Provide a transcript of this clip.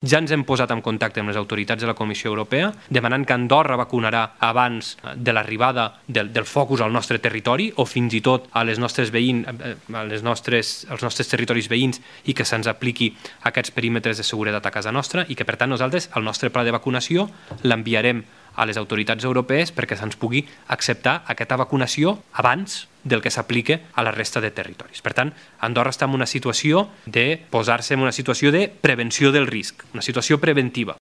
Ja ens hem posat en contacte amb les autoritats de la Comissió Europea demanant que Andorra vacunarà abans de l'arribada del focus al nostre territori o fins i tot als nostres territoris veïns i que se'ns apliqui aquests perímetres de seguretat a casa nostra i que, per tant, nosaltres el nostre pla de vacunació l'enviarem a les autoritats europees perquè se'ns pugui acceptar aquesta vacunació abans del que s'aplica a la resta de territoris. Per tant, Andorra està en una situació de posar-se en una situació de prevenció del risc, una situació preventiva.